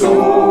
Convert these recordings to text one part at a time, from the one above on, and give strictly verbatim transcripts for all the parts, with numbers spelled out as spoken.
So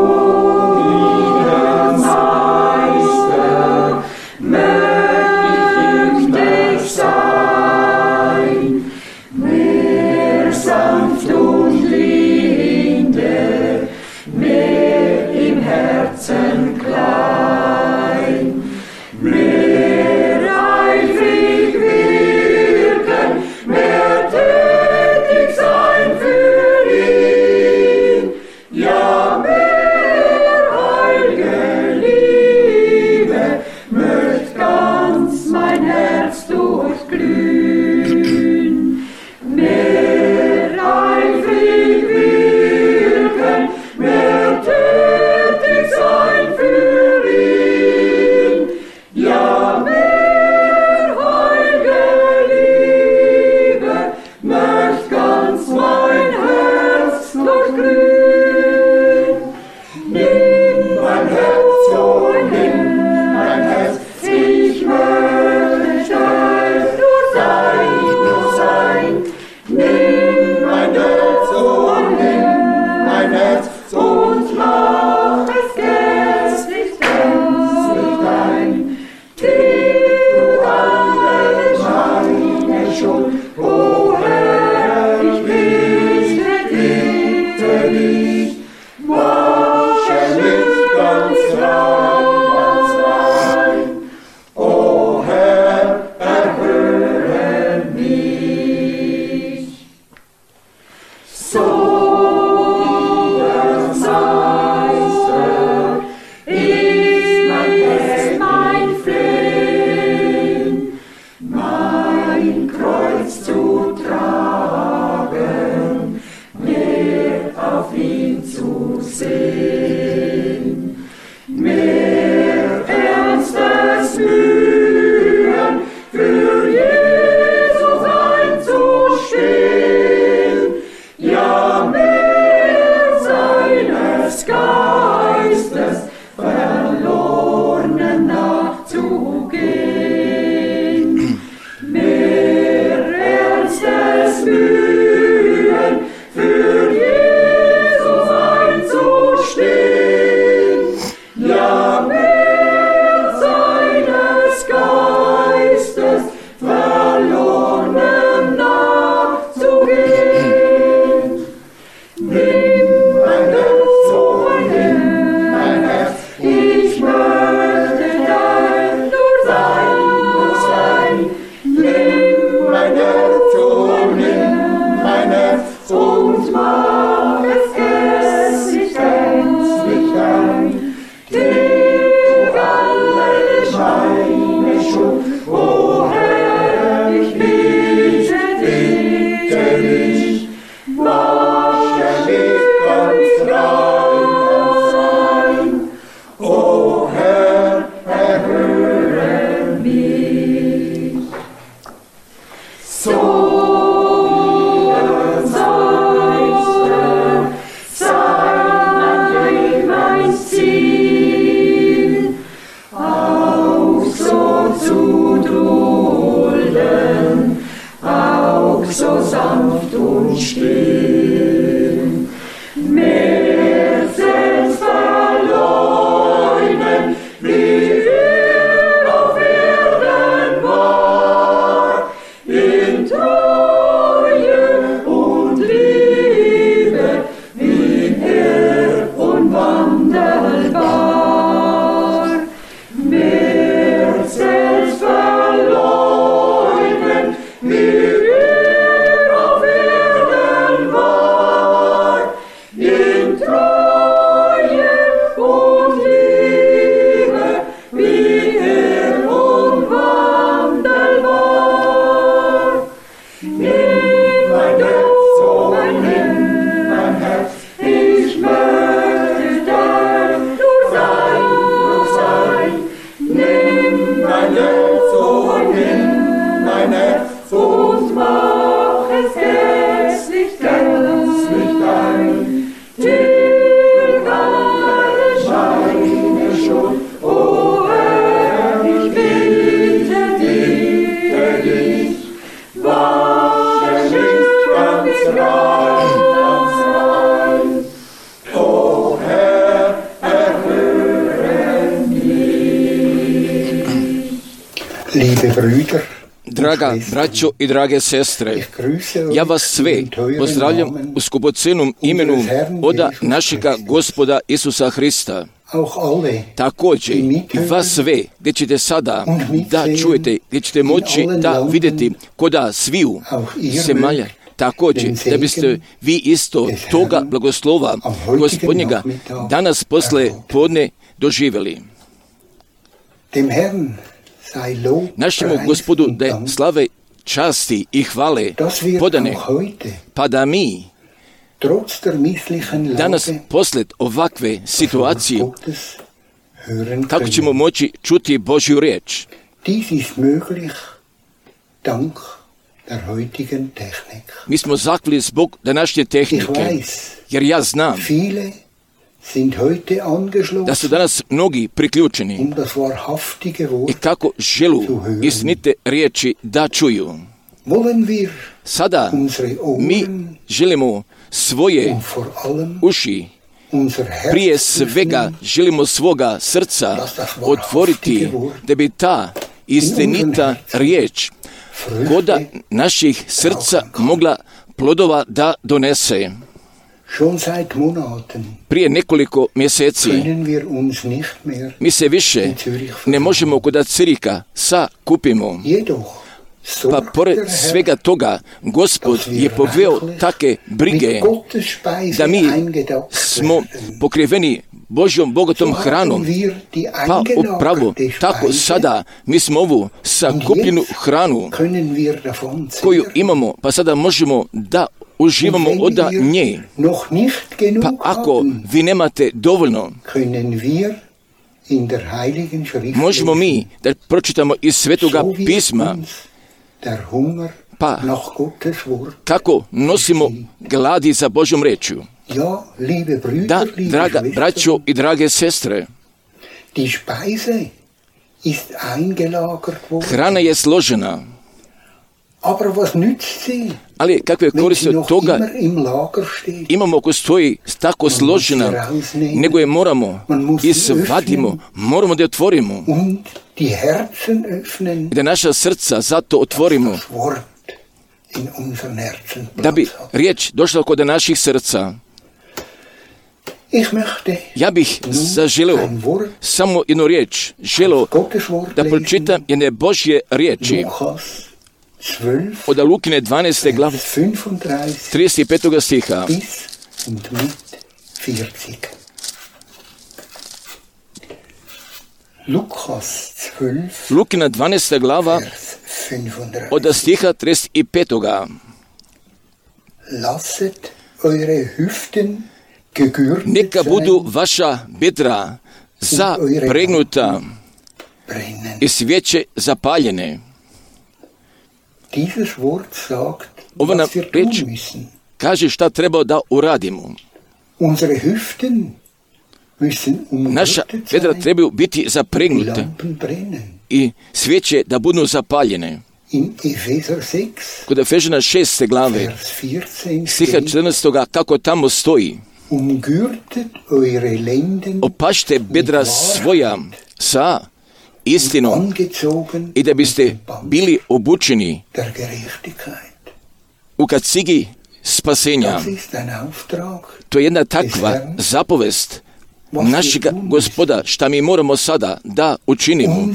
Draga braćo i drage sestre, ja vas sve pozdravljam u skupocenom imenu oda našega Gospoda Isusa Hrista. Također i vas sve, gdje ćete sada da čujete, gdje ćete moći da vidjeti koda sviju zemalja. Također, da biste vi isto toga blagoslova Gospodnjega danas posle podne doživjeli. Našemu Gospodu da je slave, časti i hvale podane, pa da mi danas posled ovakve situacije tako ćemo moći čuti Božju riječ. Mi smo zahvalni zbog današnje tehnike, jer ja znam da su danas mnogi priključeni i kako želu istinite riječi da čuju. Sada mi želimo svoje uši, prije svega želimo svoga srca otvoriti da bi ta istinita riječ koda naših srca mogla plodova da donese. Prije nekoliko mjeseci mi se više ne možemo kod Cirika sakupimo. Pa pored svega toga, Gospod je poveo take brige da mi smo pokriveni Božjom bogatom hranom. Pa upravo tako sada mi smo ovu sakupljenu hranu koju imamo, pa sada možemo da uživamo od nje. Pa ako vi nemate dovoljno, možemo mi da pročitamo iz Svetoga pisma, pa kako nosimo gladi za Božjom rečju. Da, draga braćo i drage sestre, hrana je složena, ali kakve koristi od toga imamo ako stoji tako složena, nego je moramo izvadimo, moramo da je otvorimo i da naša srca zato otvorimo, da bi riječ došla kod naših srca. Ja bih zaželeo samo jednu riječ, želeo da pročitam jedne Božje riječi od Lukine dvanaeste glave trideset petog stiha. Lukina dvanaesta glava od stiha trideset petog. Neka budu vaša bedra zapregnuta i svijeće zapaljene. Ova nam reč kaže šta treba da uradimo. Naša bedra trebaju biti zapregnute i svijeće da budu zapaljene. Kod Efežana šeste glave, stiha četrnaestog kako tamo stoji: opašte bedra svoja sa istinom i da biste bili obučeni u kacigi spasenja. To je jedna takva zapovest našega Gospoda, šta mi moramo sada da učinimo.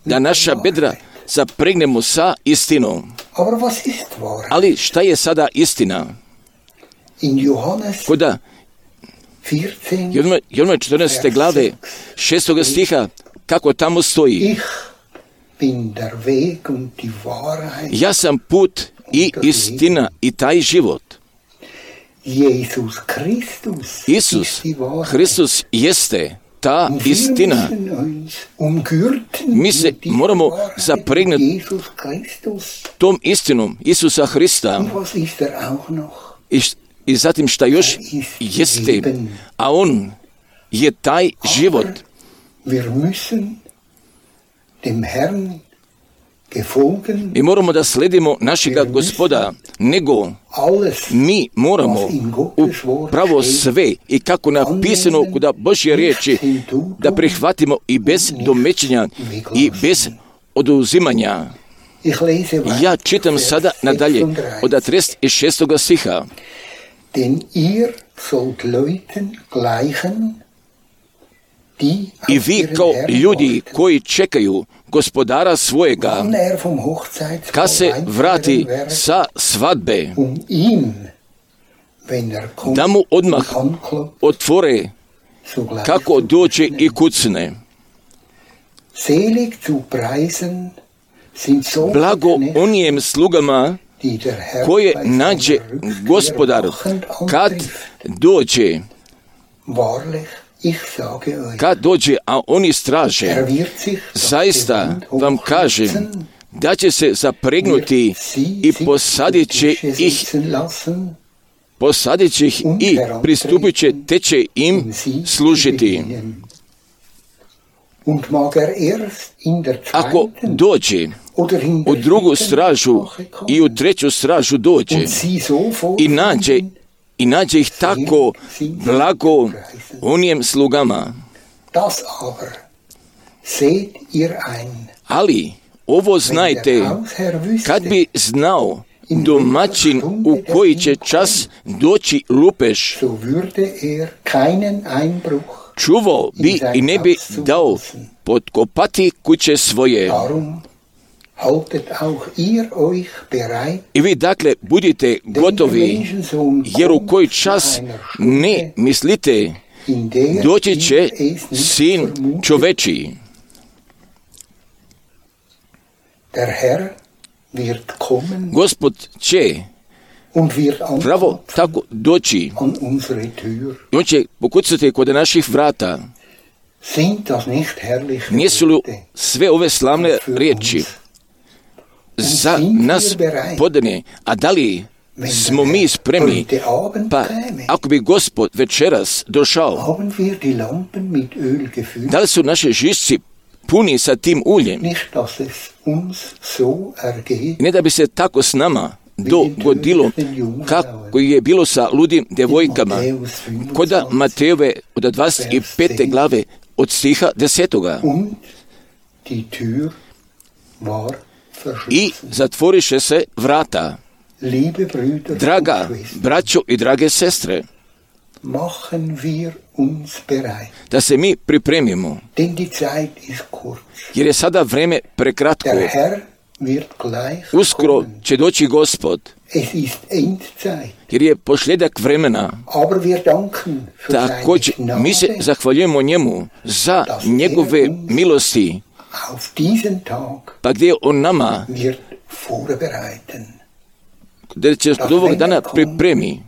Da naša bedra zapregnemo sa istinom. Ali šta je sada istina? Koda Jovana četrnaeste glave šestog stiha kako tamo stoji: ja sam put i istina i taj život. Isus Hristos jeste ta istina. Mi se moramo zapregnuti tom istinom Isusa Hrista. I, I zatim šta još jeste, a on je taj život. Mi moramo da sledimo našega Gospoda, nego mi moramo upravo sve i kako napisano kod Božje riječi da prihvatimo i bez domećenja i bez oduzimanja. Ja čitam sada nadalje od trideset šestog stiha. I vi kao ljudi koji čekaju Gospodara svojega, kad se vrati sa svadbe, da mu odmah otvore kako dođe i kucne. Blago onijem slugama koje nađe Gospodar kad dođe. Kad dođe, a oni straže, zaista vam kažem da će se zapregnuti i posadit će ih, posadit će ih i pristupit će, te će im služiti. Ako dođe u drugu stražu i u treću stražu dođe i nađe I nađe ih tako blago onijem slugama. Ali ovo znajte, kad bi znao domaćin u koji će čas doći lupež, čuvao bi i ne bi dao potkopati kuće svoje. I vi dakle budite gotovi, jer u koji čas ne mislite, doći će sin čovečiji. Gospod će pravo tako doći i on će pokucati kod naših vrata. Nisu li sve ove slavne riječi za nas podane, a da li smo mi spremni? Pa ako bi Gospod večeras došao, da li su naše žišci puni sa tim uljem? Ne da bi se tako s nama dogodilo kako je bilo sa ludim djevojkama kod Matejove od dvadeset pete glave od stiha desetoga. I zatvoriše se vrata. Draga braćo i drage sestre, da se mi pripremimo, jer je sada vreme prekratko. Uskoro će doći Gospod, jer je posljedak vremena. Također mi se zahvaljujemo njemu za njegove milosti, pa gdje on nama da će od ovog dana pripremi,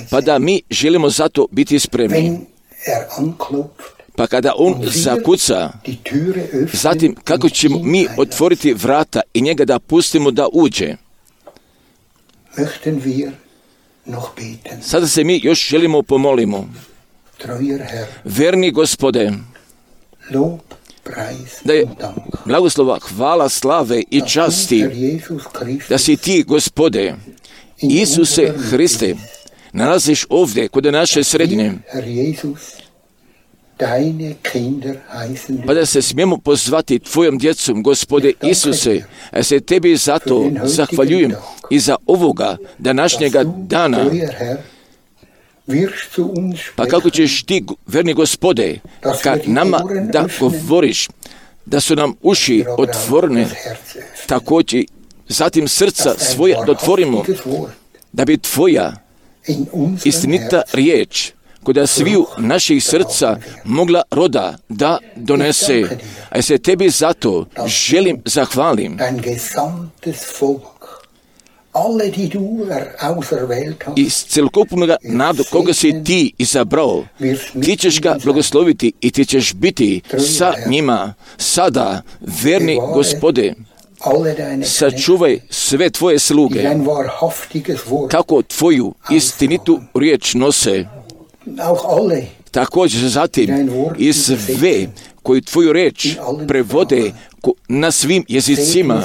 pa da mi želimo zato biti spremni. Pa kada on zakuca, zatim kako ćemo mi otvoriti vrata i njega da pustimo da uđe. Sada se mi još želimo pomolimo. Verni Gospode, da je blagoslova, hvala, slave i časti, da si ti, Gospode, Isuse Hriste, nalaziš ovdje kod naše sredine, pa da se smijemo pozvati tvojom djecom, Gospode Isuse, a se tebi zato zahvaljujem i za ovoga današnjega dana. Pa kako ćeš ti, verni Gospode, kad nama da govoriš, da su nam uši otvorene, također zatim srca svoja dotvorimo, da bi tvoja istinita riječ kod sviju naših srca mogla roda da donese. A se tebi zato želim zahvalim. Iz celokupnog naroda koga si ti izabrao, ti ćeš ga blagosloviti i ti ćeš biti sa njima sada, verni Gospode. Sačuvaj sve tvoje sluge, kako tvoju istinitu riječ nose. Također zatim i sve koji tvoju riječ prevode, na svim jezicima,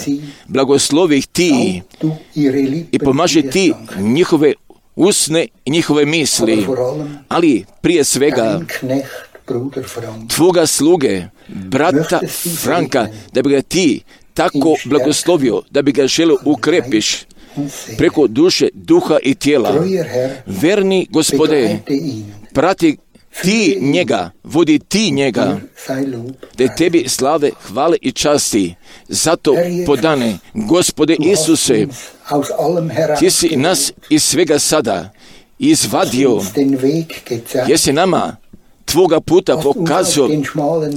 blagoslovi ih ti i pomaži ti njihove usne i njihove misli, ali prije svega tvoga sluge, brata Franka, da bi ga ti tako blagoslovio, da bi ga želio ukrepiš preko duše, duha i tijela. Verni Gospode, prati ti njega, vodi ti njega, da tebi slave, hvale i časti. Zato podane, Gospode Isuse, ti si nas iz svega sada izvadio, jesi nama tvoga puta pokazao,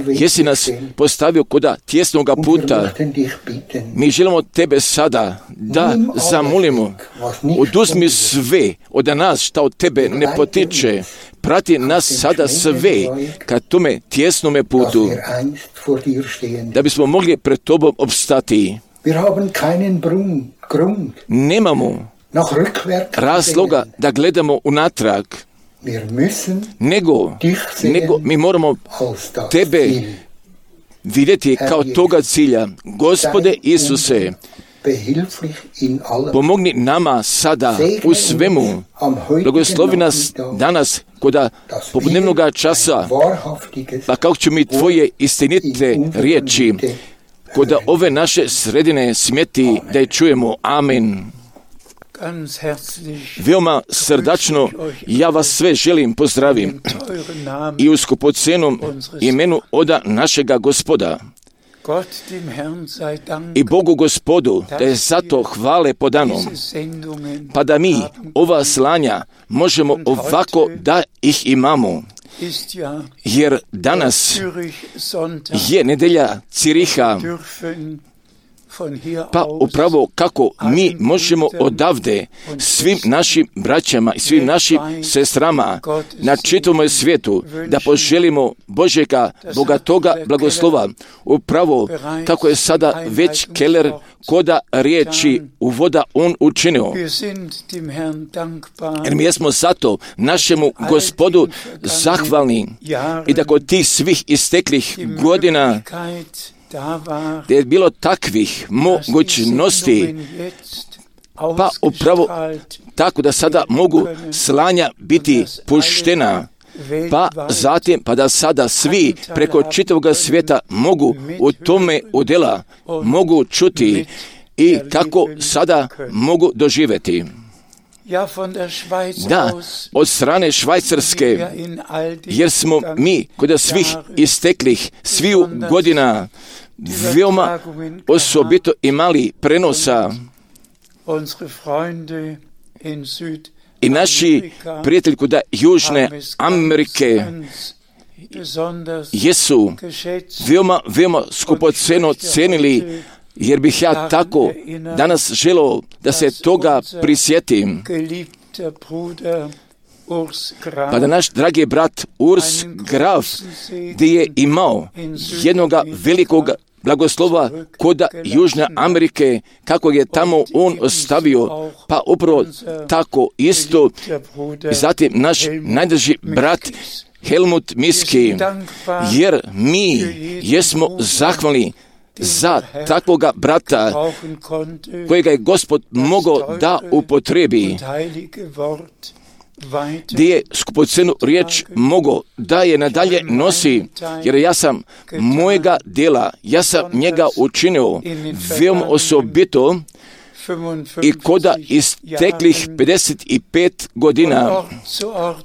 jesi nas postavio koda tjesnoga puta. Mi želimo tebe sada da zamolimo, oduzmi sve od nas šta od tebe ne potiče, prati nas sada sve ka tome tjesnome putu, da bismo mogli pred tobom opstati. Nemamo razloga da gledamo unatrag, nego, nego mi moramo tebe vidjeti kao toga cilja. Gospode Isuse, pomogni nama sada u svemu, blagoslovi nas danas koda popodnevnoga časa, pa kako ću mi tvoje istinite riječi koda ove naše sredine smjeti da je čujemo. Amen. Veoma srdačno ja vas sve želim pozdravim i u skupocenom imenu oda našega Gospoda. I Bogu Gospodu da je zato hvale podanom, pa da mi ova slanja možemo ovako da ih imamo. Jer danas je nedelja Ciriha, pa upravo kako mi možemo odavde svim našim braćama i svim našim sestrama na čitavom svijetu da poželimo Božjega bogatoga blagoslova, upravo kako je sada već Keller koda riječi uvoda on učinio. Jer mi jesmo zato našemu Gospodu zahvalni i da kod tih svih isteklih godina da je bilo takvih mogućnosti, pa upravo tako da sada mogu slanja biti puštena, pa zatim pa da sada svi preko čitavog svijeta mogu u tome udjela, mogu čuti i kako sada mogu doživjeti. Da, od strane Švajcarske, jer smo mi kod svih isteklih sviju godina veoma osobito imali prenosa i naši prijatelji kod Južne Amerike jesu veoma, veoma skupoceno cenili, jer bih ja tako danas želio da se toga prisjetim. Pa da naš dragi brat Urs Graf, gdje je imao jednoga velikog blagoslova kod Južne Amerike, kako je tamo on ostavio, pa upravo tako isto, zatim naš najdrži brat Helmut Miski, jer mi jesmo zahvalni za takvoga brata kojega je Gospod mogao da upotrebi, gdje je skupocenu riječ mogao da je nadalje nosi, jer ja sam mojega djela, ja sam njega učinio veoma osobito i koda isteklih pedeset pet godina,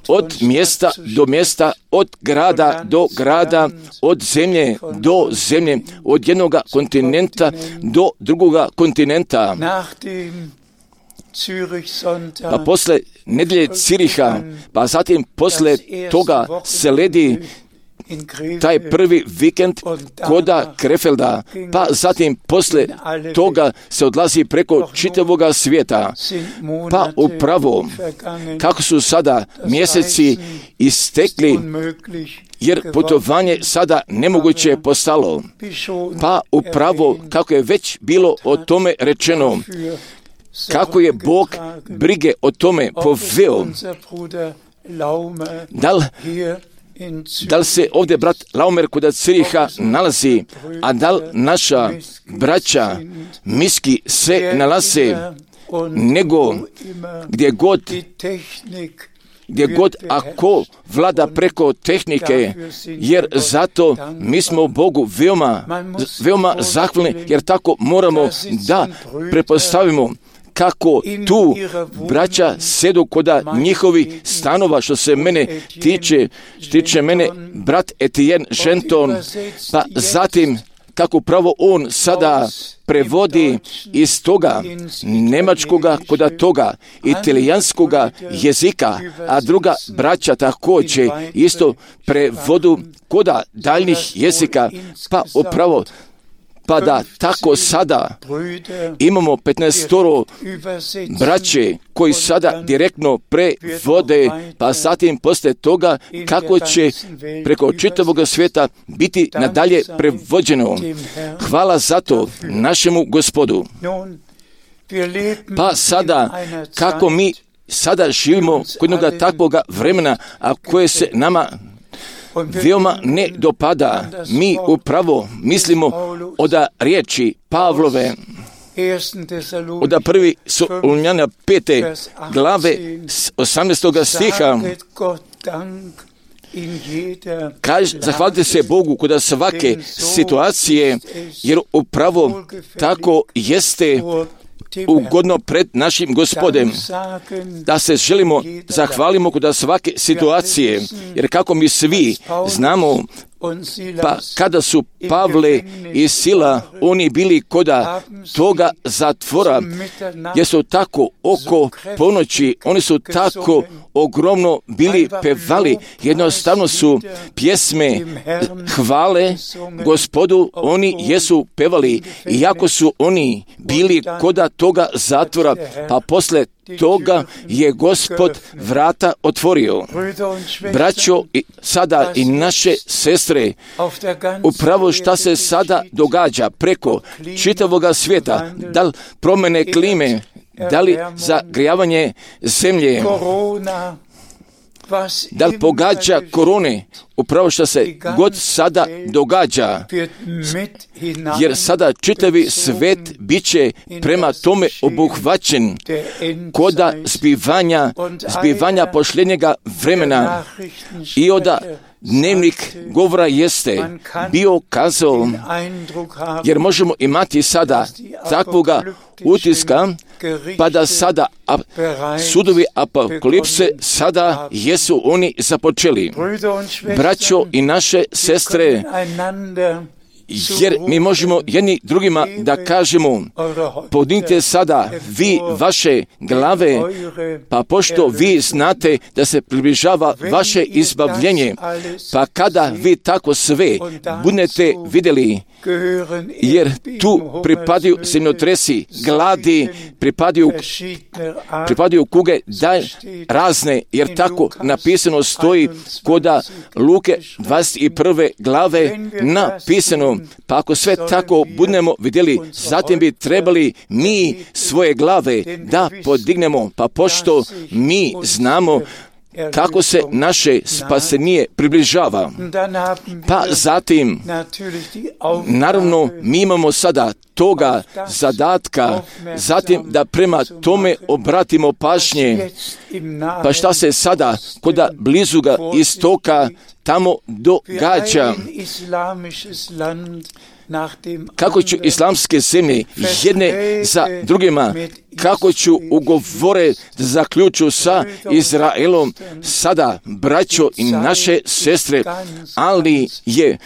od mjesta do mjesta, od grada do grada, od zemlje do zemlje, od jednoga kontinenta do drugoga kontinenta. Pa posle nedelje Ciriha, pa zatim posle toga se ledi taj prvi vikend koda Krefelda, pa zatim posle toga se odlazi preko čitavoga svijeta. Pa upravo kako su sada mjeseci istekli, jer putovanje sada nemoguće postalo. Pa upravo kako je već bilo o tome rečeno, kako je Bog brige o tome poveo, da li da li se ovdje brat Laumer kod Ciriha nalazi, a da li naša braća Miski se nalaze, nego gdje god gdje god ako vlada preko tehnike, jer zato mi smo Bogu veoma, veoma zahvalni, jer tako moramo da prepostavimo kako tu braća sedu koda njihovi stanova, što se mene tiče, tiče mene brat Etienne Genton, pa zatim kako pravo on sada prevodi iz toga nemačkoga koda toga italijanskoga jezika, a druga braća također isto prevodu koda daljnih jezika, pa upravo pa da tako sada imamo petnaestoro braće koji sada direktno prevode, pa zatim poslije toga kako će preko čitavog svijeta biti nadalje prevođeno. Hvala za to našemu Gospodu. Pa sada, kako mi sada živimo kod jednoga takvoga vremena, a koje se nama veoma ne dopada, mi upravo mislimo od riječi Pavlove, od prvi Solunjana pete glave osamnaestoga stiha, kaže, zahvalite se Bogu kod svake situacije, jer upravo tako jeste ugodno pred našim Gospodem, da se želimo zahvalimo kod svake situacije, jer kako mi svi znamo, pa kada su Pavle i Sila, oni bili koda toga zatvora, jer su tako oko ponoći, oni su tako ogromno bili pevali, jednostavno su pjesme hvale Gospodu, oni jesu pevali, iako su oni bili koda toga zatvora, pa posle toga je Gospod vrata otvorio. Braćo, sada i naše sestre, upravo šta se sada događa preko čitavoga svijeta, da li promjene klime, da li zagrijavanje zemlje, da li pogađa korone, upravo što se god sada događa, jer sada čitavi svet bit će prema tome obuhvaćen koda zbivanja, zbivanja posljednjega vremena. I onda dnevnik govora jeste bio kazao, jer možemo imati sada takvoga utiska, pa da sada a, sudovi apokalipse sada jesu oni započeli. Braćo i naše sestre, jer mi možemo jedni drugima da kažemo, podignite sada vi vaše glave, pa pošto vi znate da se približava vaše izbavljenje, pa kada vi tako sve budete vidjeli, jer tu pripadaju zemljotresi, gladi, pripadaju, pripadaju kuge, da razne, jer tako napisano stoji koda Luke dvadeset prve glave napisano. Pa ako sve tako budemo vidjeli, zatim bi trebali mi svoje glave da podignemo, pa pošto mi znamo kako se naše spasenje približava. Pa zatim, naravno, mi imamo sada toga zadatka, zatim da prema tome obratimo pažnje. Pa šta se sada koda blizuga istoka tamo događa? Kako će islamske zemlje jedne za drugima, kako ću ugovore zaključu sa Izraelom sada, braćo i naše sestre, ali je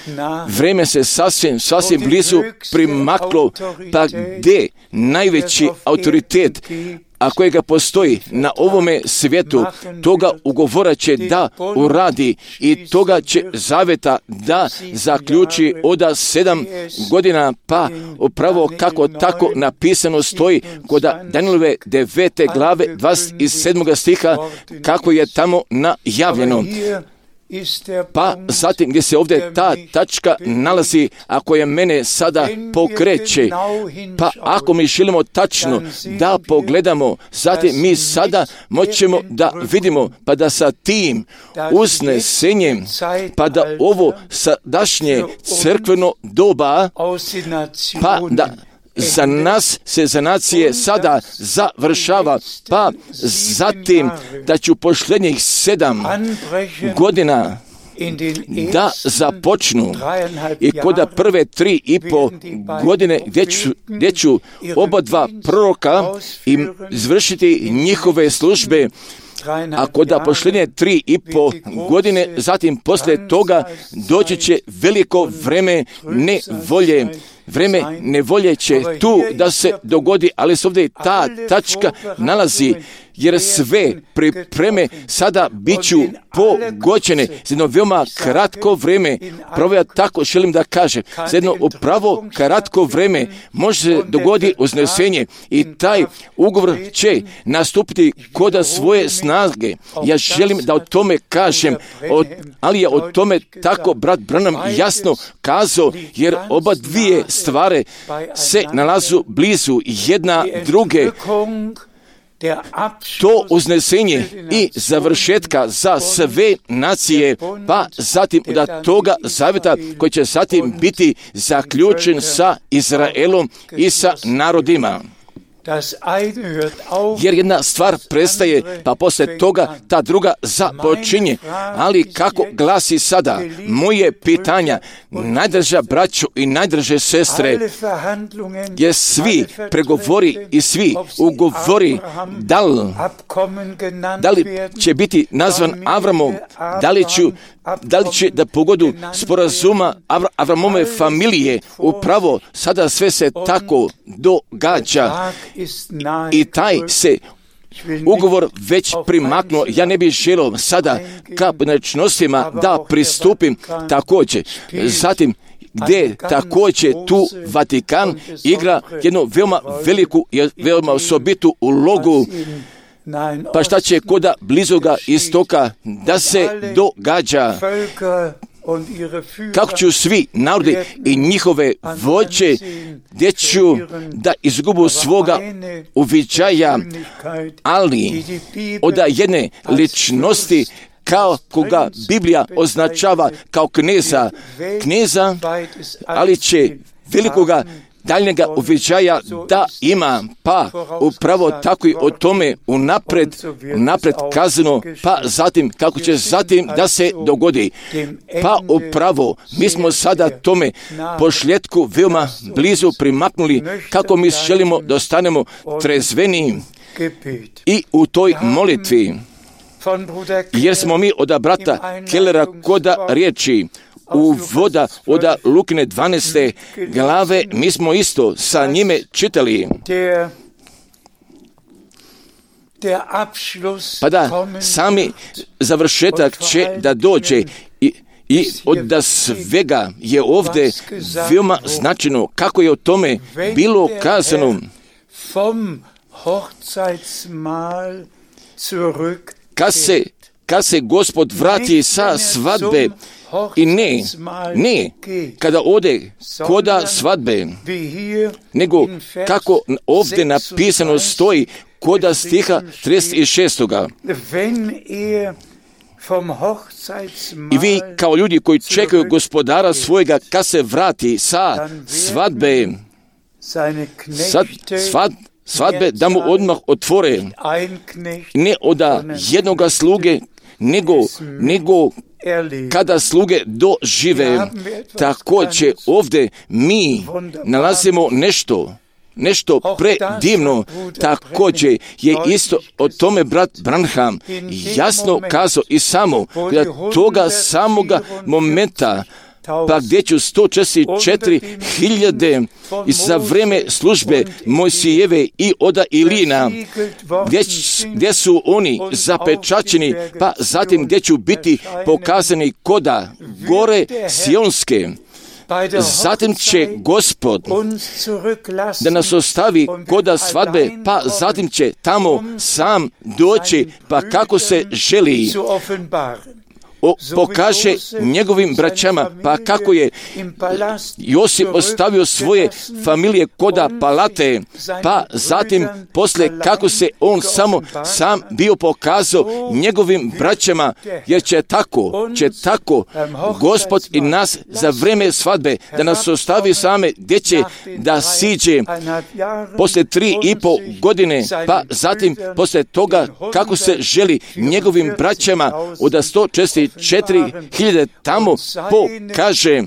vreme se sasvim, sasvim blizu primaklo, pa gdje najveći autoritet, a kojega postoji na ovome svijetu, toga ugovora će da uradi i toga će zaveta da zaključi oda sedam godina, pa upravo kako tako napisano stoji kod Danielove devete glave dvadeset sedmog stiha, kako je tamo najavljeno. Pa zatim gdje se ovdje ta tačka nalazi, ako je mene sada pokreće, pa ako mi želimo tačno da pogledamo, zatim mi sada moćemo da vidimo, pa da sa tim uznesenjem, pa da ovo sadašnje crkveno doba, pa da za nas se za nacije sada završava, pa zatim da ću posljednjih sedam godina da započnu i koda prve tri i po godine gdje ću, gdje ću oba dva proroka i izvršiti njihove službe, a koda posljednje tri i po godine, zatim poslije toga doći će veliko vreme nevolje. Vreme nevolje će tu da se dogodi, ali se ovdje ta tačka nalazi, jer sve pripreme sada bit ću pogođene za jedno veoma kratko vreme. Pravo ja tako želim da kažem, za jedno upravo kratko vreme može se dogoditi uznesenje i taj ugovor će nastupiti koda svoje snage. Ja želim da o tome kažem, o, ali je o tome tako brat Branham jasno kazao, jer oba dvije stvari se nalazu blizu jedna druge. To uznesenje i završetka za sve nacije, pa zatim da toga zavjeta koji će zatim biti zaključen sa Izraelom i sa narodima. Jer jedna stvar prestaje, pa poslije toga ta druga započinje. Ali kako glasi sada moje pitanja, najdraža braćo i najdraže sestre, je svi pregovori i svi ugovori, da li, da li će biti nazvan Avramom, da li ću Da li će da pogodu sporazuma Avra, Avramove familije, upravo sada sve se tako događa i taj se ugovor već primaknuo. Ja ne bih želio sada ka pojedinačnostima da pristupim također. Zatim, gdje također tu Vatikan igra jednu veoma veliku i veoma osobitu ulogu. Pa šta će koda blizoga istoka da se događa? Kako ću svi narodi i njihove vođe, gdje ću da izgubu svoga uviđaja, ali od jedne ličnosti kao koga Biblija označava kao kneza, kneza, ali će velikoga daljnjega uviđaja da ima, pa upravo tako i o tome unapred, unapred kazano, pa zatim kako će zatim da se dogodi. Pa upravo mi smo sada tome posljedku veoma blizu primaknuli, kako mi želimo da ostanemo trezveni i u toj molitvi. Jer smo mi od brata Kellera koda riječi u voda od Lukine dvanaeste glave, mi smo isto sa njime čitali. Pa da, sami završetak će da dođe i, i od svega je ovdje veoma značajno kako je o tome bilo kazano. Kad se, kad se Gospod vrati sa svadbe, i ne, ne, kada ode koda svadbe, nego kako ovdje napisano stoji koda stiha trideset šest. I vi kao ljudi koji čekaju Gospodara svojega kad se vrati sa svadbe, sad, svad, svadbe da mu odmah otvore, ne od jednoga sluge, nego, nego kada sluge dožive. Također ovdje mi nalazimo nešto, nešto predivno. Također je isto o tome brat Branham jasno kazao i samo da toga samoga momenta, pa gdje ću sto četrdeset četiri hiljade za vreme službe Mojsijeve i oda Ilina, gdje, gdje su oni zapečačeni, pa zatim gdje ću biti pokazani koda gore Sionske. Zatim će Gospod da nas ostavi koda svadbe, pa zatim će tamo sam doći, pa kako se želi o, pokaže njegovim braćama, pa kako je Josip ostavio svoje familije koda palate, pa zatim posle kako se on samo sam bio pokazao njegovim braćama, jer će tako, će tako Gospod i nas za vreme svadbe, da nas ostavi same, gdje će da siđe posle tri i po godine, pa zatim posle toga kako se želi njegovim braćama od sto četrdeset četiri hiljade tamo pokaže,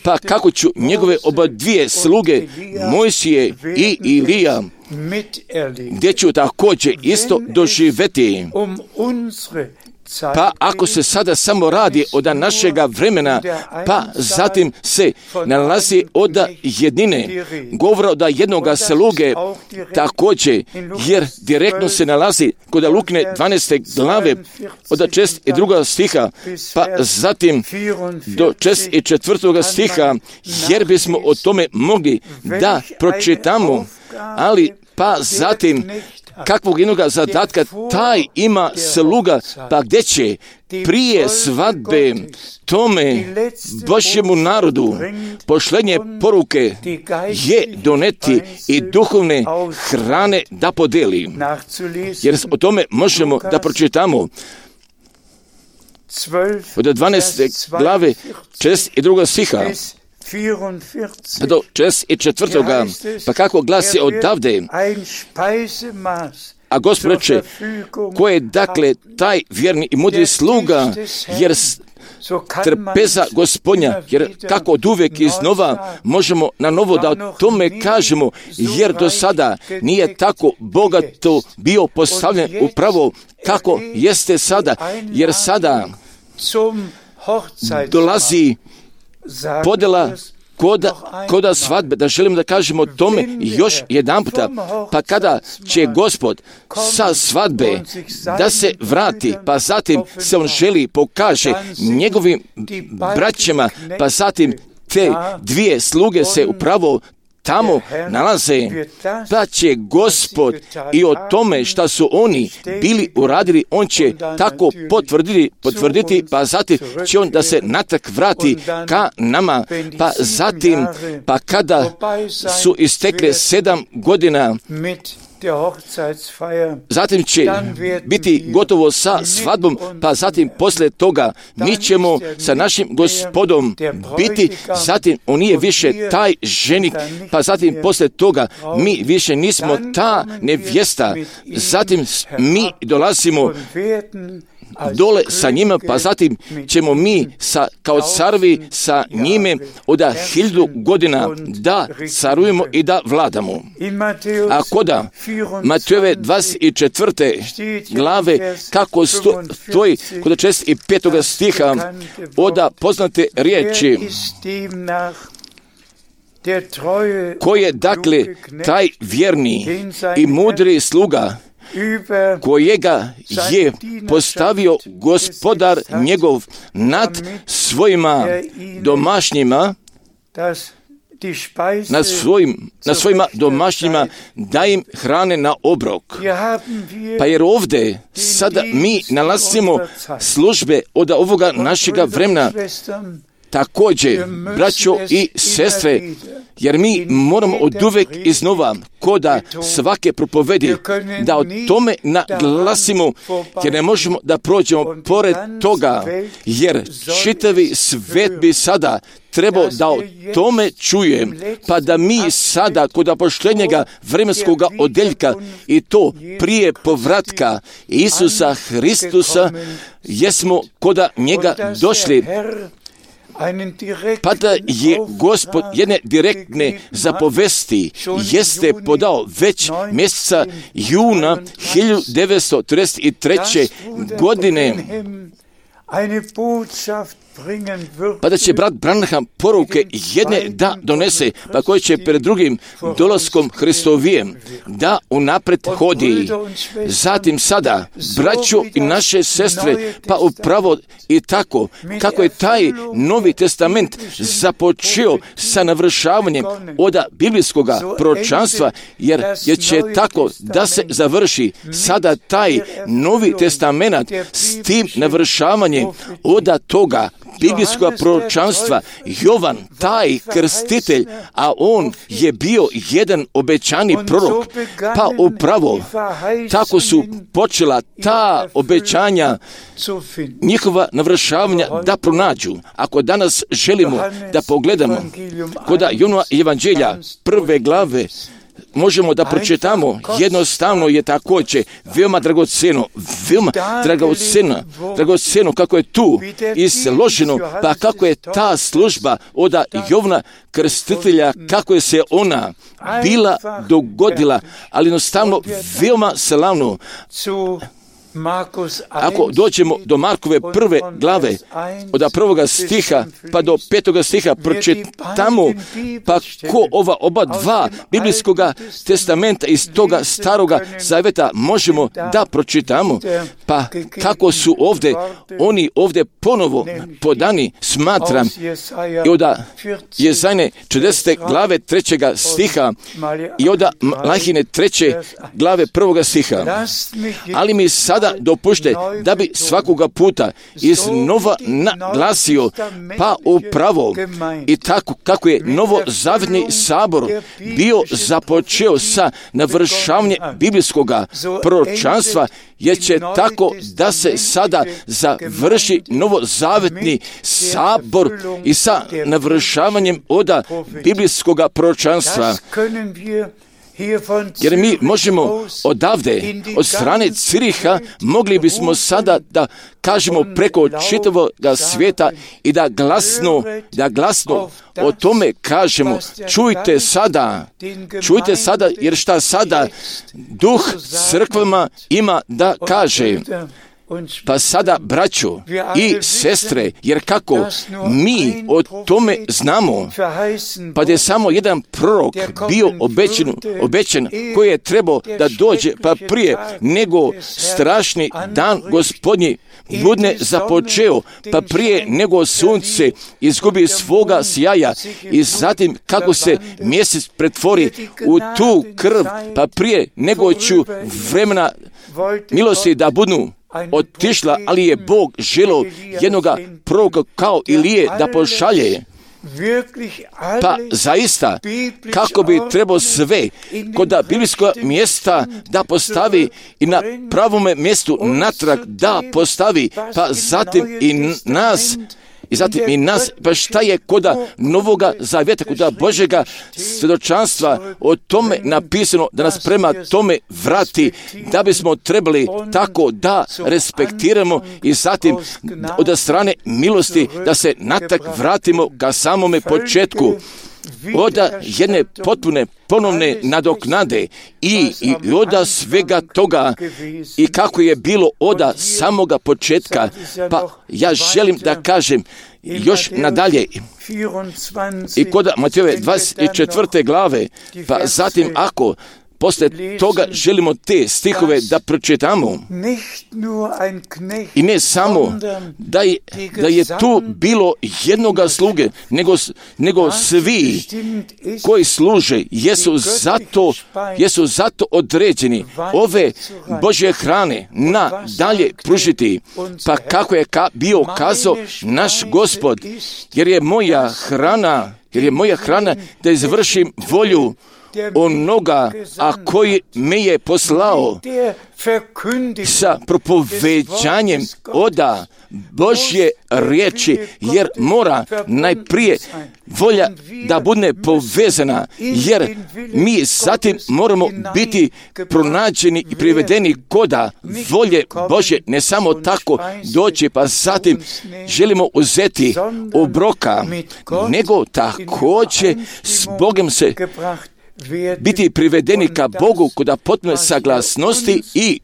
pa kako ću njegove oba dvije sluge, Mojsije i Ilija, gdje ću također isto doživjeti. Pa ako se sada samo radi od našega vremena, pa zatim se nalazi od jednine, govora od jednoga sluge također, jer direktno se nalazi kod Lukine dvanaeste glave od šest i druga stiha, pa zatim do šest i četvrtoga stiha, jer bismo o tome mogli da pročitamo, ali pa zatim kakvog jednoga zadatka taj ima sluga, pa gdje će prije svadbe tome Božjemu narodu pošlenje poruke je doneti i duhovne hrane da podeli. Jer o tome možemo da pročitamo od dvanaeste glave šest i druga stiha do šest i četvrtoga, pa kako glasi odavde, a Gospod reče, ko je dakle taj vjerni i mudri sluga, jer trpeza Gospodnja, jer kako od uvijek iznova možemo na novo da o tome kažemo, jer do sada nije tako bogato bio postavljen upravo kako jeste sada, jer sada dolazi podela koda, koda svadbe, da želim da kažemo tome još jedan puta, pa kada će Gospod sa svadbe da se vrati, pa zatim se on želi pokaže njegovim braćama, pa zatim te dvije sluge se upravo tamo nalaze, pa će Gospod i o tome šta su oni bili uradili, on će tako potvrditi, potvrditi, pa zatim će on da se natrag vrati ka nama, pa zatim, pa kada su istekle sedam godina, zatim će biti gotovo sa svadbom, pa zatim posle toga mi ćemo sa našim Gospodom biti, zatim on nije više taj ženik, pa zatim posle toga mi više nismo ta nevjesta, zatim mi dolazimo dole sa njima, pa zatim ćemo mi sa, kao carovi sa njime od hiljadu godina da carujemo i da vladamo. A koda Matejove dvadeset četvrte glave, kako stoji kod šest i petoga stiha, oda poznate riječi, ko je dakle taj vjerni i mudri sluga, kojega je postavio Gospodar njegov nad svojima domašnjima, na, svojim, na svojima domašnjima da im hrane na obrok. Pa jer ovdje sada mi nalazimo službe od ovoga našega vremena, također, braćo i sestre, jer mi moramo od uvek iznova, koda svake propovedi, da o tome naglasimo, jer ne možemo da prođemo pored toga, jer čitavi svet bi sada trebao da o tome čuje, pa da mi sada kod poštenjega vremenskog odeljka i to prije povratka Isusa Hristusa, jesmo koda njega došli, pa da je Gospod jedne direktne zapovesti jeste podao već mjeseca juna hiljadu devetsto trideset treće. godine, pa da će brat Branham poruke jedne da donese, pa koji će pred drugim dolaskom Hristovijem da unapred hodi. Zatim sada, braćo i naše sestre, pa upravo i tako, kako je taj Novi Testament započeo sa navršavanjem od biblijskog proročanstva, jer, jer će tako da se završi sada taj Novi Testament s tim navršavanjem od toga biblijskog proročanstva. Jovan, taj krstitelj, a on je bio jedan obećani prorok, pa upravo tako su počela ta obećanja, njihova navršavanja da pronađu. Ako danas želimo da pogledamo kod Jonovog evanđelja prve glave, možemo da pročitamo, jednostavno je također veoma dragoceno, veoma dragoceno, dragoceno kako je tu izloženo, pa kako je ta služba od Jovana Krstitelja, kako je se ona bila dogodila, ali jednostavno veoma slavno. Ako dođemo do Markove prve glave, od prvoga stiha pa do petoga stiha, pročitamo pa ko ova oba dva biblijskoga testamenta iz toga staroga zaveta možemo da pročitamo, pa kako su ovdje, oni ovdje ponovo podani, smatram, i od Jezajne čedesete glave trećega stiha i od Malahine treće glave prvoga stiha. Ali mi sada dopušte da bi svakoga puta iznova naglasio, pa upravo i tako kako je novozavjetni sabor bio započeo sa navršavanjem biblijskog proročanstva, jer će tako da se sada završi novozavjetni sabor i sa navršavanjem od biblijskog proročanstva. Jer mi možemo odavde, od strane Ciriha, mogli bismo sada da kažemo preko čitavog svijeta i da glasno, da glasno o tome kažemo, čujte sada, čujte sada, jer šta sada duh crkvama ima da kaže. Pa sada, braćo i sestre, jer kako mi o tome znamo, pa da je samo jedan prorok bio obećan, obećan koji je trebao da dođe pa prije nego strašni dan Gospodnji budne započeo, pa prije nego sunce izgubi svoga sjaja i zatim kako se mjesec pretvori u tu krv, pa prije nego ću vremena milosti da budu otišla, ali je Bog želeo jednoga proroka kao Ilije da pošalje. Pa zaista, kako bi trebao sve kod biblijskog mjesta da postavi i na pravome mjestu natrag da postavi, pa zatim i nas, I zatim i nas, pa šta je koda Novoga Zavjeta, koda Božjega svjedočanstva o tome napisano da nas prema tome vrati, da bismo trebali tako da respektiramo i zatim od strane milosti da se natak vratimo ka samome početku. Od jedne potpune ponovne nadoknade i, i od svega toga i kako je bilo od samoga početka. Pa ja želim da kažem još nadalje i kod Matejove dvadeset četvrte glave, pa zatim ako posle toga želimo te stihove da pročitamo. I ne samo da je, da je tu bilo jednoga sluge, nego, nego svi koji služe jesu zato, jesu zato određeni ove Božje hrane na dalje pružiti. Pa kako je ka, bio kazao naš Gospod, jer je moja hrana, jer je moja hrana da izvršim volju onoga, a koji me je poslao sa propoveđanjem oda Božje riječi, jer mora najprije volja da bude povezana, jer mi zatim moramo biti pronađeni i privedeni koda volje Božje, ne samo tako doći, pa zatim želimo uzeti obroka, nego također s Bogom se biti privedeni ka Bogu kod potpune saglasnosti i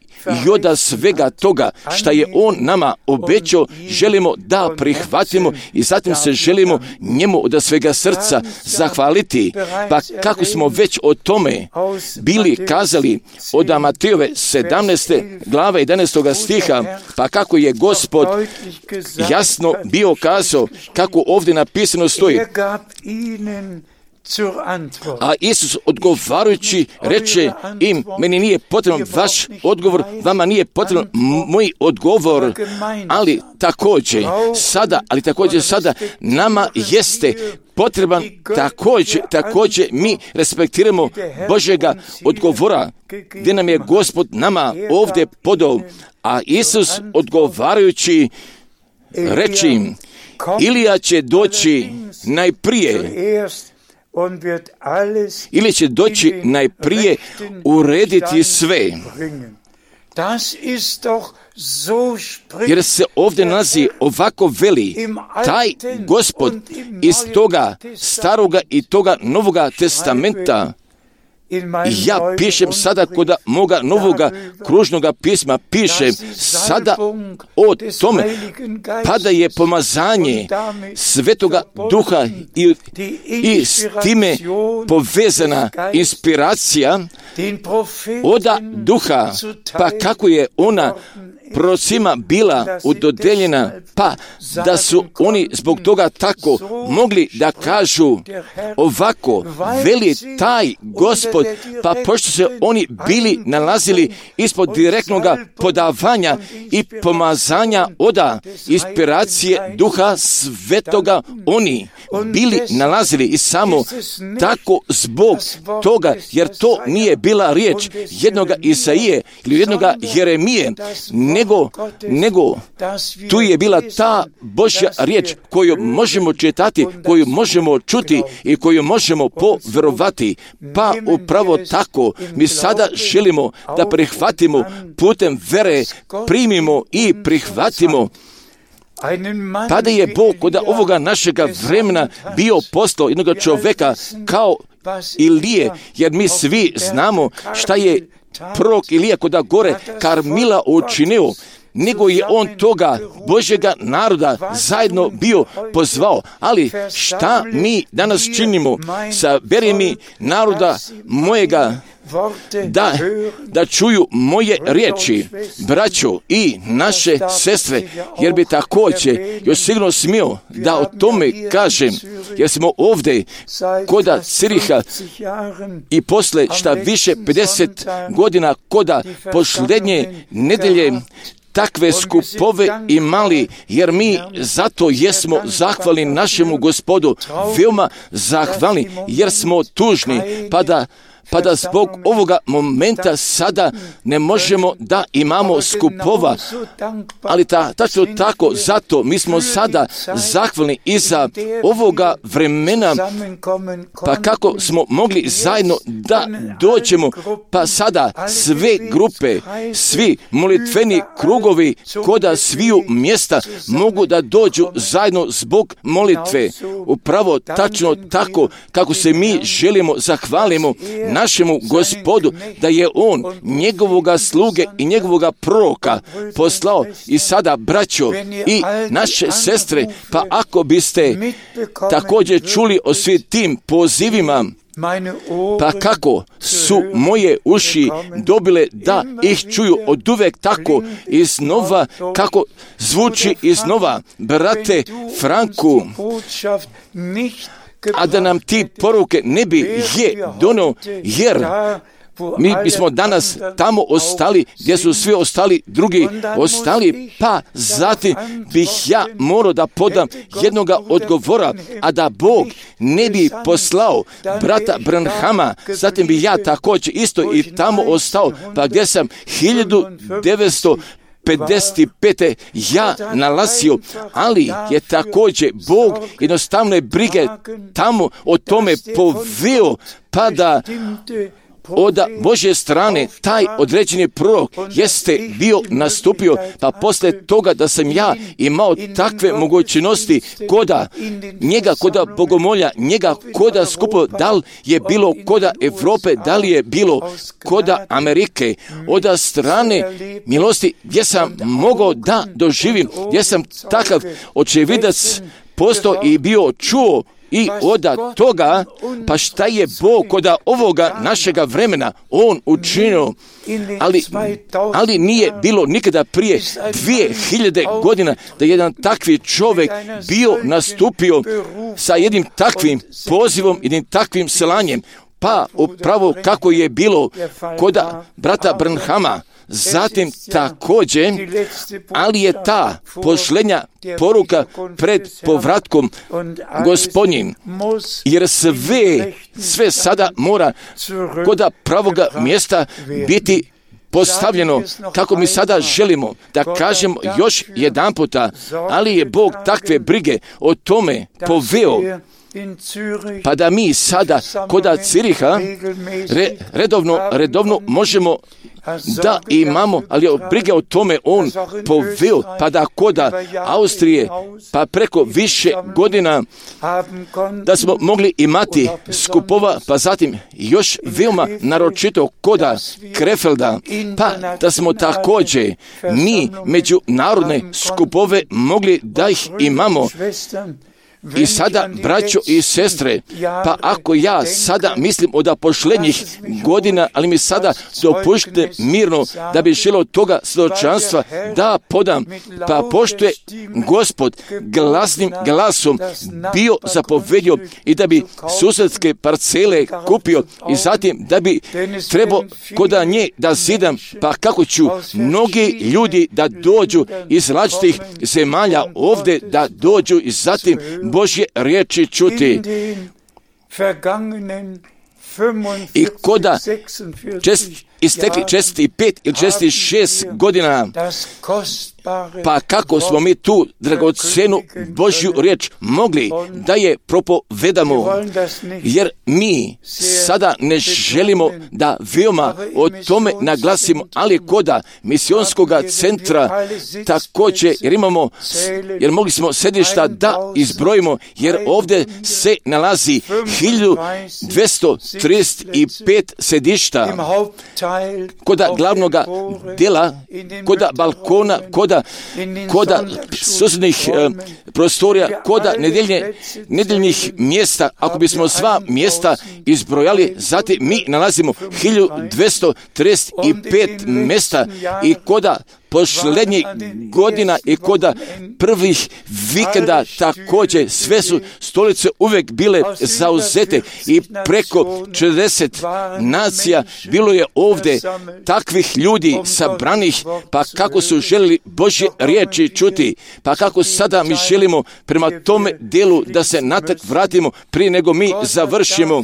od svega toga što je On nama obećao, želimo da prihvatimo i zatim se želimo njemu od svega srca zahvaliti. Pa kako smo već o tome bili kazali od Matejove sedamnaeste glave jedanaestog stiha, pa kako je Gospod jasno bio kazao, kako ovdje napisano stoji. A Isus odgovarajući reče im, meni nije potreban vaš odgovor, vama nije potreban moj odgovor, ali također sada, ali također sada nama jeste potreban također, također mi respektiramo Božjega odgovora, gdje nam je Gospod nama ovdje podao, a Isus odgovarajući reče im, Ilija će doći najprije, ili će doći najprije urediti sve. Jer se ovdje nalazi ovako veli, taj Gospod iz toga staroga i toga novoga testamenta. Ja pišem sada kod moga novoga kružnoga pisma, pišem sada o tome, pa da je pomazanje Svetoga Duha i, i s time povezana inspiracija oda Duha, pa kako je ona prorocima bila udodeljena, pa da su oni zbog toga tako mogli da kažu ovako, veli taj Gospod, pa pošto se oni bili nalazili ispod direktnog podavanja i pomazanja oda inspiracije Duha Svetoga, oni bili nalazili i samo tako zbog toga, jer to nije bila riječ jednoga Isaije ili jednoga Jeremije, nego, nego tu je bila ta Božja riječ koju možemo čitati, koju možemo čuti i koju možemo poverovati. Pa upravo tako mi sada želimo da prihvatimo putem vere, primimo i prihvatimo. Pa da je Bog kod ovoga našega vremena bio poslao jednog čovjeka kao Ilije, jer mi svi znamo šta je prorok Ilija kod gore Karmila učinio, nego je on toga Božjega naroda zajedno bio pozvao. Ali šta mi danas činimo sa beremi naroda mojega da, da čuju moje riječi, braćo i naše sestre, jer bi također još sigurno smio da o tome kažem, jer smo ovdje koda Ciriha i posle šta više pedeset godina koda posljednje nedelje takve skupove imali, jer mi zato jesmo zahvalni našemu Gospodu, veoma zahvalni, jer smo tužni, pa da pa da zbog ovoga momenta sada ne možemo da imamo skupova, ali ta, tačno tako, zato mi smo sada zahvalni iza ovoga vremena, pa kako smo mogli zajedno da dođemo, pa sada sve grupe, svi molitveni krugovi koda sviju mjesta mogu da dođu zajedno zbog molitve. Upravo tačno tako kako se mi želimo zahvalimo našemu Gospodu, da je On njegovoga sluge i njegovoga proroka poslao. I sada, braćo i naše sestre, pa ako biste također čuli o svim tim pozivima, pa kako su moje uši dobile da ih čuju od uvek tako iznova, kako zvuči iznova, brate Franku, a da nam ti poruke ne bi je donio, jer mi bismo danas tamo ostali gdje su svi ostali drugi ostali, pa zatim bih ja morao da podam jednoga odgovora, a da Bog ne bi poslao brata Branhama, zatim bi ja također isto i tamo ostao, pa gdje sam hiljadu devetsto pedeset pete ja nalazio, ali je također Bog jednostavne brige tamo o tome poveo, pa da od Božje strane taj određeni prorok jeste bio nastupio, pa posle toga da sam ja imao takve mogućnosti koda njega, koda bogomolja, njega koda skupo, da li je bilo koda Evrope, da li je bilo koda Amerike, od strane milosti gdje sam mogao da doživim, gdje sam takav očevidac postao i bio čuo i od toga, pa šta je Bog kod ovoga našega vremena On učinio, ali, ali nije bilo nikada prije dvije hiljade godina da jedan takvi čovjek bio nastupio sa jednim takvim pozivom, jednim takvim selanjem, pa upravo kako je bilo kod brata Branhama. Zatim također, ali je ta posljednja poruka pred povratkom Gospodnjim, jer sve, sve sada mora kod pravoga mjesta biti postavljeno kako mi sada želimo da kažemo još jedan puta, ali je Bog takve brige o tome poveo, pa da mi sada kod Ciriha re, redovno, redovno možemo da imamo, ali brige o tome On poveo, pa da kod Austrije, pa preko više godina da smo mogli imati skupova, pa zatim još veoma naročito kod Krefelda, pa da smo također mi međunarodne skupove mogli da ih imamo. I sada, braćo i sestre, pa ako ja sada mislim od posljednjih godina, ali mi sada dopušte mirno da bi želio toga svjedočanstva da podam, pa pošto je Gospod glasnim glasom bio zapovedio i da bi susjedske parcele kupio i zatim da bi trebao kod nje da zidam, pa kako ću mnogi ljudi da dođu iz različitih zemalja ovdje, da dođu i zatim Božje riječi čuti. I koda čest, istekli česti pet ili česti šest godina, pa kako smo mi tu dragocenu Božju riječ mogli da je propovedamo, jer mi sada ne želimo da veoma o tome naglasimo, ali koda misionskog centra također, jer imamo, jer mogli smo sedišta da izbrojimo, jer ovdje se nalazi hiljadu dvjesto trideset pet sedišta koda glavnog dela, koda balkona, koda koda susjednih e, prostorija, koda nedeljne, nedeljnih mjesta. Ako bismo sva mjesta izbrojali, zatim mi nalazimo hiljadu dvjesto trideset pet mjesta i koda posljednjih godina i koda prvih vikenda također sve su stolice uvijek bile zauzete i preko četrdeset nacija bilo je ovdje takvih ljudi sabranih, pa kako su željeli Božje riječi čuti, pa kako sada mi želimo prema tome delu da se natak vratimo prije nego mi završimo,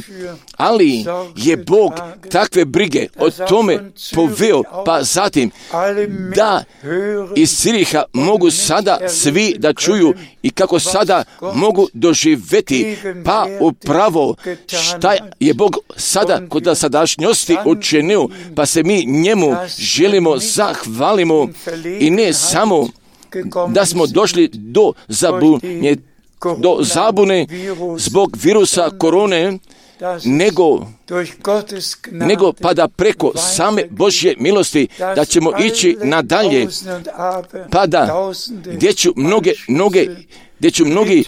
ali je Bog takve brige o tome poveo, pa zatim da iz Ciriha mogu sada svi da čuju i kako sada mogu doživjeti, pa upravo šta je Bog sada kod sadašnjosti učinio, pa se mi njemu želimo zahvalimo i ne samo da smo došli do zabunje, do zabune zbog virusa korone, nego, nego pa da preko same Božje milosti da ćemo ići nadalje, pa da gdje ću mnoge, mnoge gdje ću mnogi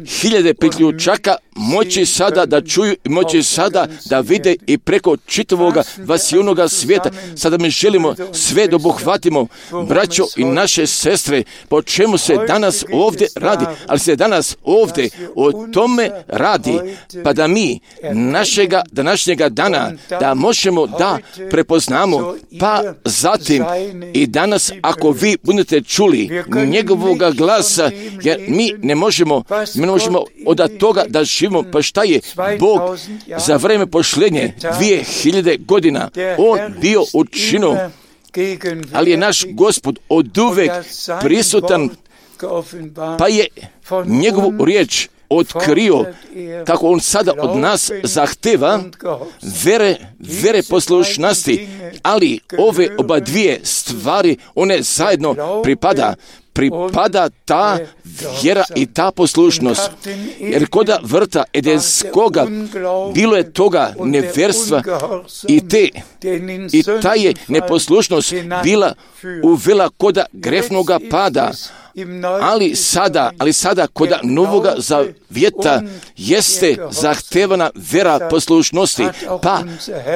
hiljade priključaka moći sada da čuju i moći sada da vide i preko čitavoga vasijunoga svijeta. Sada mi želimo sve da obuhvatimo, braćo i naše sestre, po čemu se danas ovdje radi, ali se danas ovdje o tome radi, pa da mi našega današnjega dana da možemo da prepoznamo, pa zatim i danas ako vi budete čuli njegovoga glasa, jer mi ne možemo, mi ne možemo od toga da živimo, pa šta je Bog za vreme posljednje dvije hiljade godina On bio učinio, ali je naš Gospod oduvek prisutan, pa je njegovu riječ otkrio kako on sada od nas zahteva vere, vere poslušnosti, ali ove oba dvije stvari, one zajedno pripada. Pripada ta vjera i ta poslušnost. Jer koda vrta Edenskoga bilo je toga neverstva i te i ta je neposlušnost bila uvela koda grefnoga pada. Ali sada, ali sada koda novoga zavjeta jeste zahtevana vera poslušnosti. Pa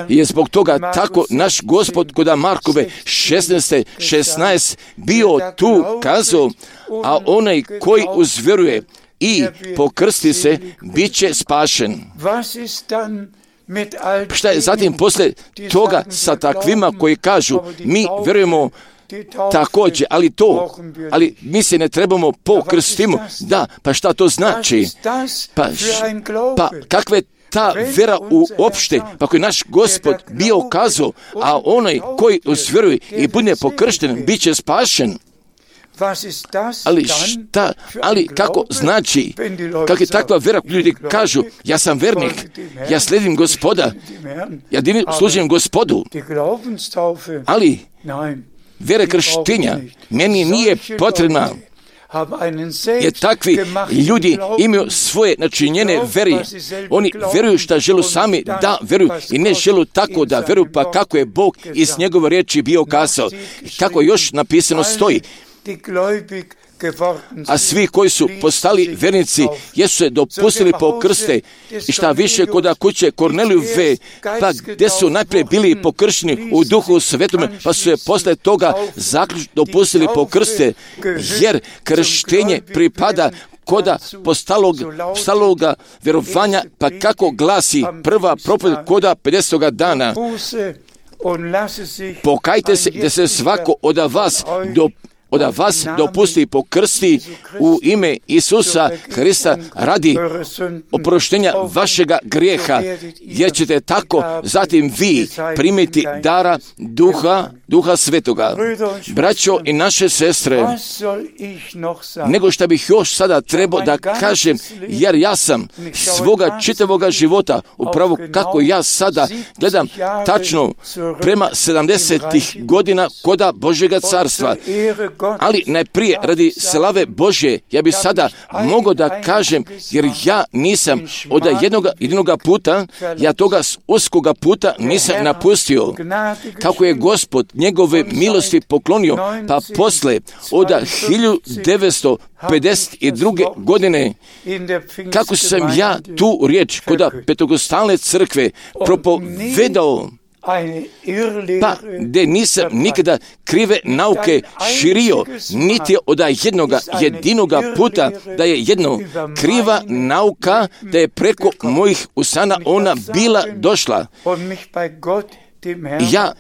je zbog toga tako naš Gospod koda Markove šesnaest šesnaest bio tu kazao, a onaj koji uzvjeruje i pokrsti se, bit će spašen. Šta je zatim poslije toga sa takvima koji kažu, mi vjerujemo također, ali to, ali mi se ne trebamo pokrstimo. Da, pa šta to znači? Pa, pa kakve ta vera uopšte, pa koji naš Gospod bio kazao, a onaj koji uzvjeruje i bude pokršten, bit će spašen. Ali šta, ali kako znači, kako je takva vera, ljudi kažu, ja sam vernik, ja slijedim Gospoda, ja divim služim Gospodu, ali vera krštenja meni nije potrebna, jer takvi ljudi imaju svoje načinjene veri. Oni vjeruju šta želu sami da vjeruju i ne želu tako da vjeruju, pa kako je Bog iz njegove riječi bio kazao. Kako još napisano stoji. A svi koji su postali vernici jesu se dopustili pokrste i šta više koda kuće Kornelijove, pa gdje su najprije bili pokršteni u Duhu Svetome, pa su je posle toga zaključno dopustili pokrste, jer krštenje pripada koda postalog, postaloga vjerovanja, pa kako glasi prva propovjed koda pedesetoga dana. Pokajte se da se svako od vas do od vas dopusti pokrsti u ime Isusa Hrista radi oproštenja vašega grijeha, jer ćete tako zatim vi primiti dara Duha, Duha Svetoga. Braćo i naše sestre, nego što bih još sada trebao da kažem, jer ja sam svoga čitavoga života, upravo kako ja sada gledam tačno prema sedamdesetih godina koda Božjega carstva. Ali najprije radi slave Božje, ja bi sada mogao da kažem, jer ja nisam od jednoga jedinoga puta, ja toga uskoga puta nisam napustio. Kako je Gospod njegove milosti poklonio, pa posle od hiljadu devetsto pedeset druge godine, kako sam ja tu riječ kod Pentokostalne crkve propovedao, pa gdje nisam nikada krive nauke širio, niti od jednoga jedinoga puta da je jedno kriva nauka, da je preko mojih usana ona bila došla. Ja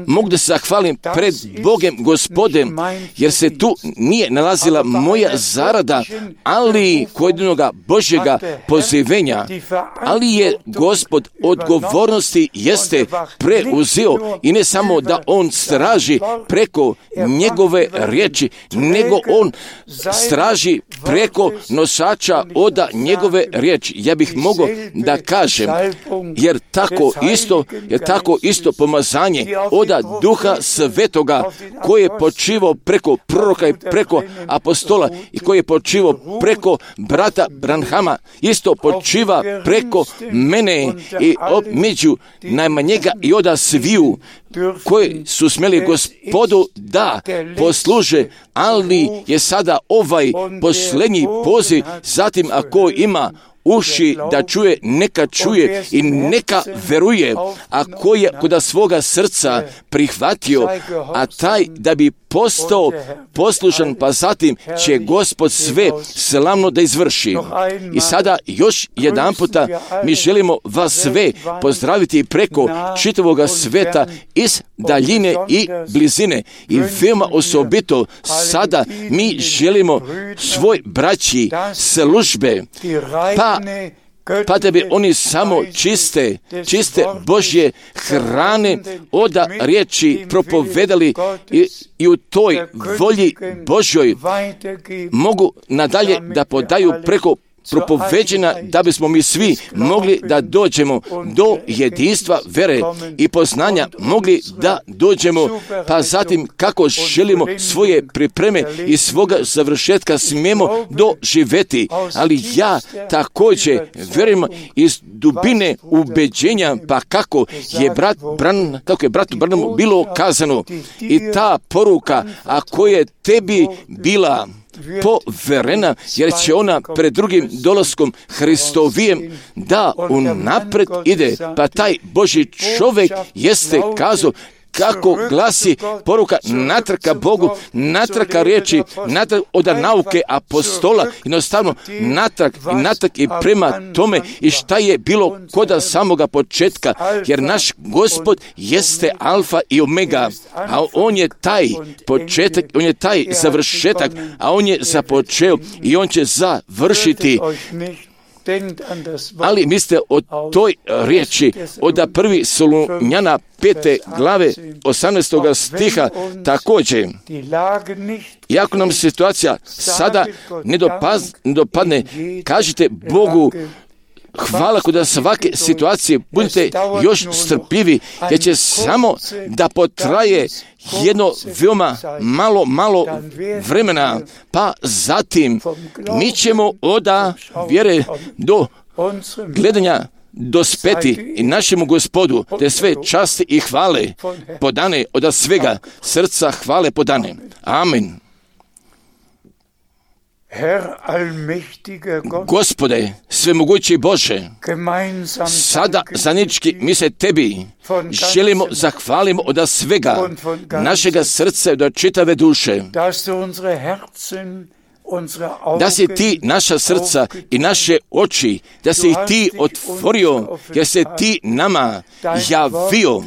mogu da se zahvalim pred Bogem Gospodem, jer se tu nije nalazila moja zarada, ali kojedinoga Božjega pozivenja, ali je Gospod odgovornosti jeste preuzeo i ne samo da on straži preko njegove riječi, nego on straži preko nosača oda njegove riječi. Ja bih mogao da kažem, jer tako isto, jer tako isto pomazanje oda Duha Svetoga koji je počivao preko proroka i preko apostola i koji je počivao preko brata Branhama, isto počiva preko mene i među najmanjega i oda sviju koji su smjeli Gospodu da posluže, ali je sada ovaj posljednji poziv, zatim ako ima uši da čuje, neka čuje i neka veruje, a ko je kod svoga srca prihvatio, a taj da bi postao poslušan, pa zatim će Gospod sve slavno da izvrši. I sada još jedan puta mi želimo vas sve pozdraviti preko čitavoga sveta iz daljine i blizine. I veoma osobito sada mi želimo svoj braći službe, pa pa da bi oni samo čiste, čiste Božje hrane oda riječi propovedali i, i u toj volji Božjoj mogu nadalje da podaju preko propoveđena da bismo mi svi mogli da dođemo do jedinstva vere i poznanja, mogli da dođemo, pa zatim kako želimo svoje pripreme i svoga završetka smijemo doživjeti. Ali ja također vjerujem iz dubine ubeđenja, pa kako je brat Bran, kako je bratu Branamu bilo kazano, i ta poruka, ako je tebi bila poverena, jer će ona pred drugim dolaskom Hristovijem da unapred ide, pa taj Božji čovjek jeste kazao, kako glasi poruka natrka Bogu, natrka riječi, natrk od nauke apostola, jednostavno natrk i natrk i prema tome i šta je bilo koda samoga početka, jer naš Gospod jeste alfa i omega, a on je taj početak, on je taj završetak, a on je započeo i on će završiti. Ali mislite o toj riječi od prvi Solunjana pete glave osamnaestoga stiha također. Iako nam situacija sada ne dopadne, kažite Bogu hvala kod svake situacije, budite još strpljivi, jer će samo da potraje jedno veoma malo, malo vremena, pa zatim mi ćemo od vjere do gledanja dospeti i našemu Gospodu, te sve časti i hvale podane od svega srca hvale podane. Amen. Gospode, svemogući Bože, sada zajednički mi se tebi želimo zahvalimo od svega našega srca i od čitave duše, da si ti naša srca i naše oči, da si ih ti otvorio, jer se ti nama javio,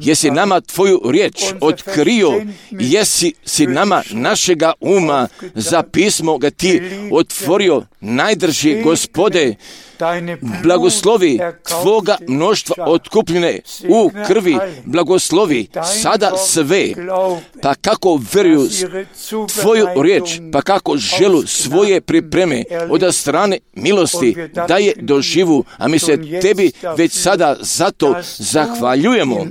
jesi nama tvoju riječ otkrio, jesi si nama našega uma za pismo ga ti otvorio. Najdrži Gospode, blagoslovi tvoga mnoštva otkupljene u krvi, blagoslovi sada sve, pa kako vjeruju tvoju riječ, pa kako želu svoje pripreme od strane milosti da je doživu, a mi se tebi već sada zato zahvaljujemo.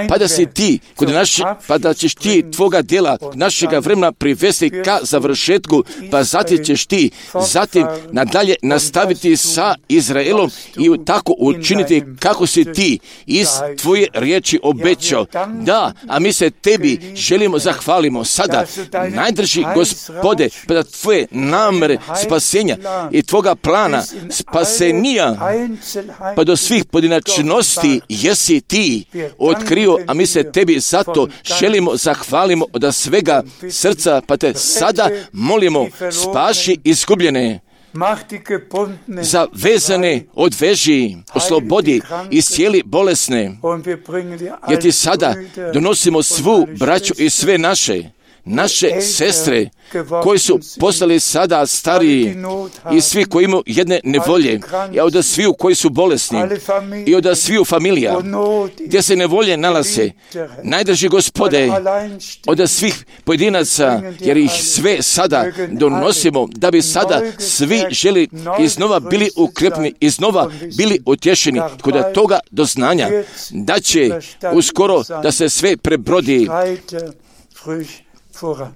Pa da si ti, kod naš, pa da ćeš ti tvoga djela, našega vremena privesti ka završetku, pa zatim ćeš ti zatim nadalje nastaviti sa Izraelom i tako učiniti kako si ti iz tvoje riječi obećao. Da, a mi se tebi želimo zahvalimo sada, najdrži Gospode, pa da tvoje namere spasenja i tvoga plana spasenija, pa do svih pojedinačnosti jesi ti otkrio, a mi se tebi zato želimo zahvalimo od svega srca, pa te sada molimo, spaši izgubljene, zavezane odveži, oslobodi i cijeli bolesne, jer ti sada donosimo svu braću i sve naše, naše sestre koji su postali sada stariji i svi koji imaju jedne nevolje, i od sviju koji su bolesni i od sviju familija gdje se nevolje nalaze, najdrži Gospode od svih pojedinaca, jer ih sve sada donosimo da bi sada svi želi iznova bili ukrepni, iznova bili utješeni kod toga doznanja da će uskoro da se sve prebrodi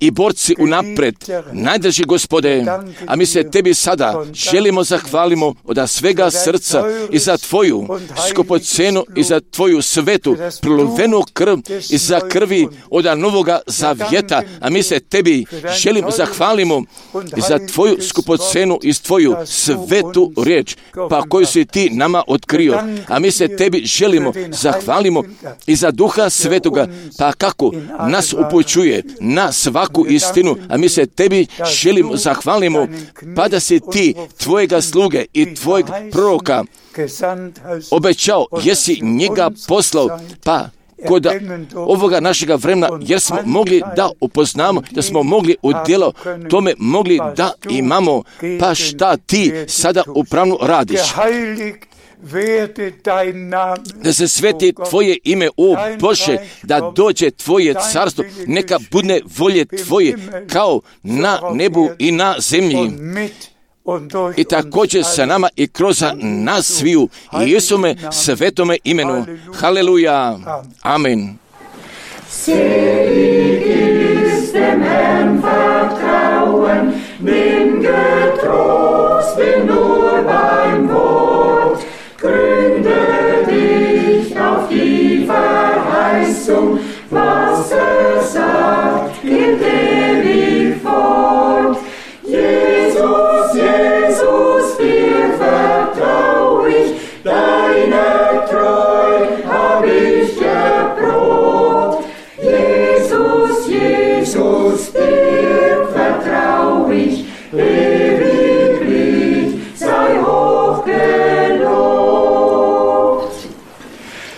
i borci unapred, najdrži Gospode, a mi se tebi sada želimo zahvalimo od svega srca i za tvoju skupocenu i za tvoju svetu prolivenu krv i za krvi od novoga zavjeta, a mi se tebi želimo zahvalimo i za tvoju skupocenu i tvoju svetu riječ, pa koju si ti nama otkrio, a mi se tebi želimo zahvalimo i za Duha Svetoga, pa kako nas upućuje na svaku istinu, a mi se tebi želimo zahvalimo, pa da si ti tvojega sluge i tvojeg proroka obećao, jesi njega poslao, pa kod ovoga našega vremena, jer smo mogli da upoznamo, da smo mogli u djelo tome mogli da imamo, pa šta ti sada upravno radiš. da se sveti Tvoje ime, o Bože, da dođe Tvoje carstvo, neka bude volje Tvoje, kao na nebu i na zemlji. I također sa nama i kroz nas sviju, i Isume svetome imenu. Haleluja. Amen. Selig ist dem Herrn vertrauen, bin getrost, bin nur beim Wort. Gründe dich auf die Verheißung, was er sagt, gilt ewig fort. Jesus, Jesus, dir vertrau ich, deine Treu hab ich erprobt. Jesus, Jesus, dir vertrau ich, ewiglich sei hochgelobt.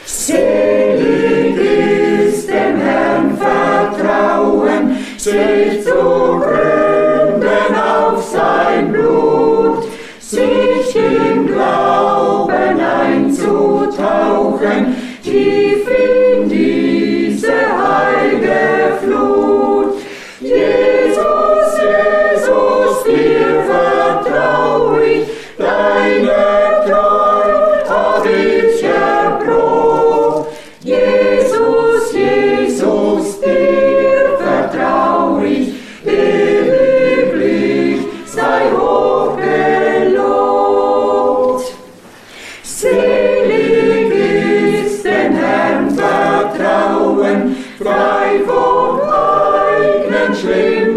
Selig ist dem Herrn vertrauen, sich zu gründen auf sein Blut, sich im Glauben einzutauchen, tief in diese heilige Flut. Jesus, Jesus, dir vertrau ich, deine Treu hab ich erprobt. Jesus, Jesus, dir vertrau ich, ewiglich sei hochgelobt. Selig ist dem Herrn vertrauen, frei vom eigenen Schlimm